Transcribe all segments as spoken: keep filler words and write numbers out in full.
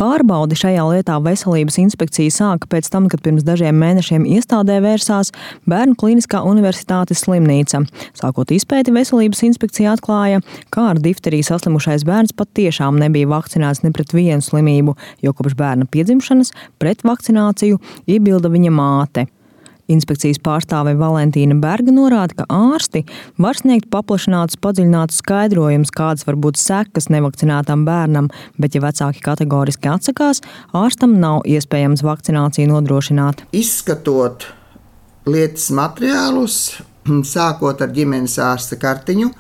Pārbaudi šajā lietā Veselības inspekcija sāka pēc tam, kad pirms dažiem mēnešiem iestādē vērsās Bērnu klīniskā universitātes slimnīca. Sākot izpēti, Veselības inspekcija atklāja, kā ar difteriju saslimušais bērns pat tiešām nebija vakcinēts ne pret vienu slimību, jo kopš bērna piedzimšanas pret vakcināciju iebilda viņa māte. Inspekcijas pārstāve Valentīna Berga norāda, ka ārsti var sniegt paplašinātus, padziļinātus skaidrojumus, kādas var būt sekas nevakcinētam bērnam, bet ja vecāki kategoriski atsakās, ārstam nav iespējams vakcināciju nodrošināt. Izskatot lietas materiālus, sākot ar ģimenes ārsta kartiņu,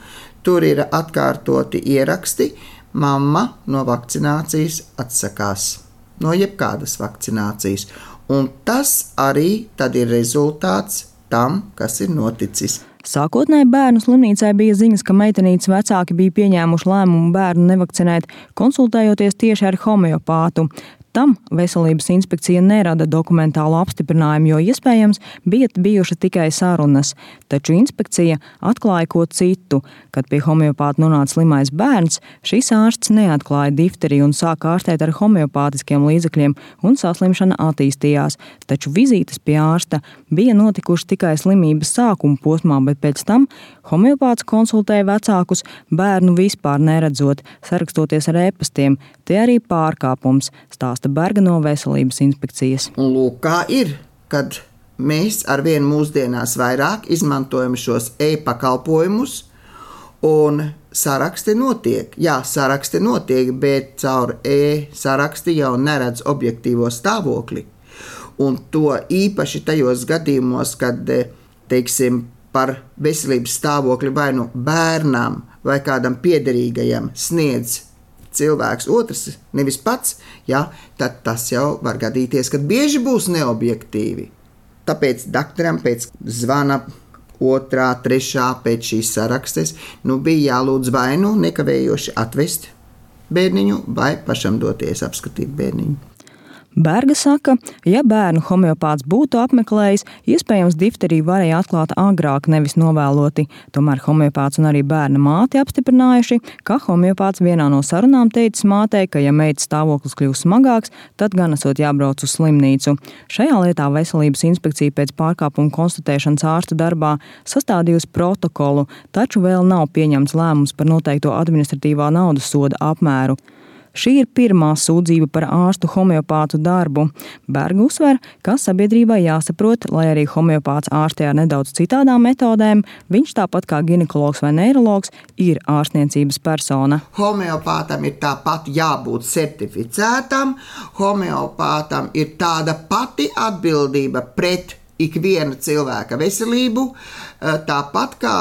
tur ir atkārtoti ieraksti, mamma no vakcinācijas atsakās, no jebkādas vakcinācijas. Un tas arī tad ir rezultāts tam, kas ir noticis. Sākotnēji bērnu slimnīcai bija ziņas, ka meitenītes vecāki bija pieņēmuši lēmumu bērnu nevakcinēt, konsultējoties tieši ar homeopātu. Tam Veselības inspekcija nerada dokumentālu apstiprinājumu, jo iespējams bija bijušas tikai sarunas. Taču inspekcija atklāja ko citu. Kad pie homeopāta nonāca slimais bērns, šis ārsts neatklāja difteriju un sāka ārstēt ar homeopātiskiem līdzekļiem, un saslimšana attīstījās. Taču vizītes pie ārsta bija notikušas tikai slimības sākuma posmā, bet pēc tam homeopāts konsultēja vecākus bērnu vispār neredzot, sarakstoties ar e-pastiem. Te arī pārkāpums, stāsta Berga no Veselības inspekcijas. Un lūk, kā ir, kad mēs arvien mūsdienās vairāk izmantojam šos e-pakalpojumus, un saraksti notiek. Jā, saraksti notiek, bet caur e-saraksti jau neredz objektīvo stāvokli. Un to īpaši tajos gadījumos, kad, teiksim, par veselības stāvokli vai nu bērnam vai kādam piederīgajam sniedz cilvēks otrs, nevis pats, jā, tad tas jau var gadīties, kad bieži būs neobjektīvi. Tāpēc doktoram pēc zvana otrā, trešā pēc šīs sarakstes, nu bija jālūdz vai nu nekavējoši atvest bērniņu vai pašam doties apskatīt bērniņu. Berga saka, ja bērnu homeopāts būtu apmeklējis, iespējams difteriju varēja atklāt agrāk, nevis novēloti. Tomēr homeopāts un arī bērna māte apstiprinājuši, ka homeopāts vienā no sarunām teicis mātei, ka ja meitas stāvoklis kļūs smagāks, tad gan esot jābrauc uz slimnīcu. Šajā lietā Veselības inspekcija pēc pārkāpuma konstatēšanas ārstu darbā sastādījusi protokolu, taču vēl nav pieņemts lēmums par noteikto administratīvā naudas soda apmēru. Šī ir pirmā sūdzība par ārstu homeopātu darbu. Berga uzsver, ka sabiedrībai jāsaprot, lai arī homeopāts ārstē ar nedaudz citādām metodēm, viņš tāpat kā ginekologs vai neirologs ir ārstniecības persona. Homeopātam ir tāpat jābūt certificētam, homeopātam ir tāda pati atbildība pret ikviena cilvēka veselību, tāpat kā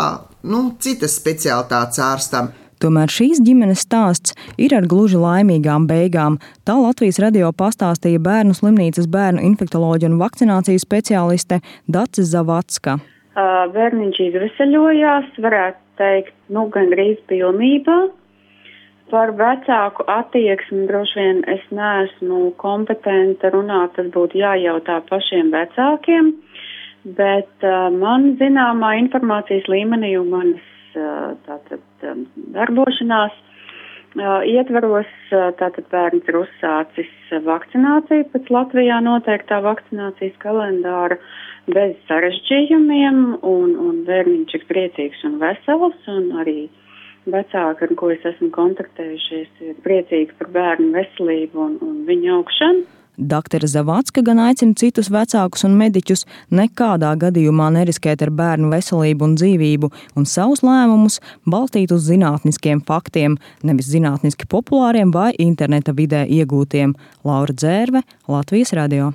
nu, citas specialitātes ārstam. Tomēr šīs ģimenes stāsts ir ar gluži laimīgām beigām. Tā Latvijas radio pastāstīja Bērnu slimnīcas bērnu infektoloģija un vakcinācijas speciāliste Dace Zavacka. Bērniņš izveseļojās, varētu teikt, nu gandrīz pilnībā. Par vecāku attieksmi droši vien es neesmu kompetenta runāt, tas būtu jājautā pašiem vecākiem, bet man zināmā informācijas līmenī un manas tātad darbošanās ietvaros, tātad bērns ir uzsācis vakcināciju pēc Latvijā noteiktā vakcinācijas kalendāra bez sarežģījumiem, un, un bērniņš ir priecīgs un vesels, un arī vecāki, ar ko es esmu kontaktējušies, ir priecīgi par bērnu veselību un, un viņa augšanu. Daktore Zavacka gan aicina citus vecākus un mediķus nekādā gadījumā neriskēt ar bērnu veselību un dzīvību un savus lēmumus balstīt uz zinātniskiem faktiem, nevis zinātniski populāriem vai interneta vidē iegūtiem. Laura Dzērve, Latvijas radio.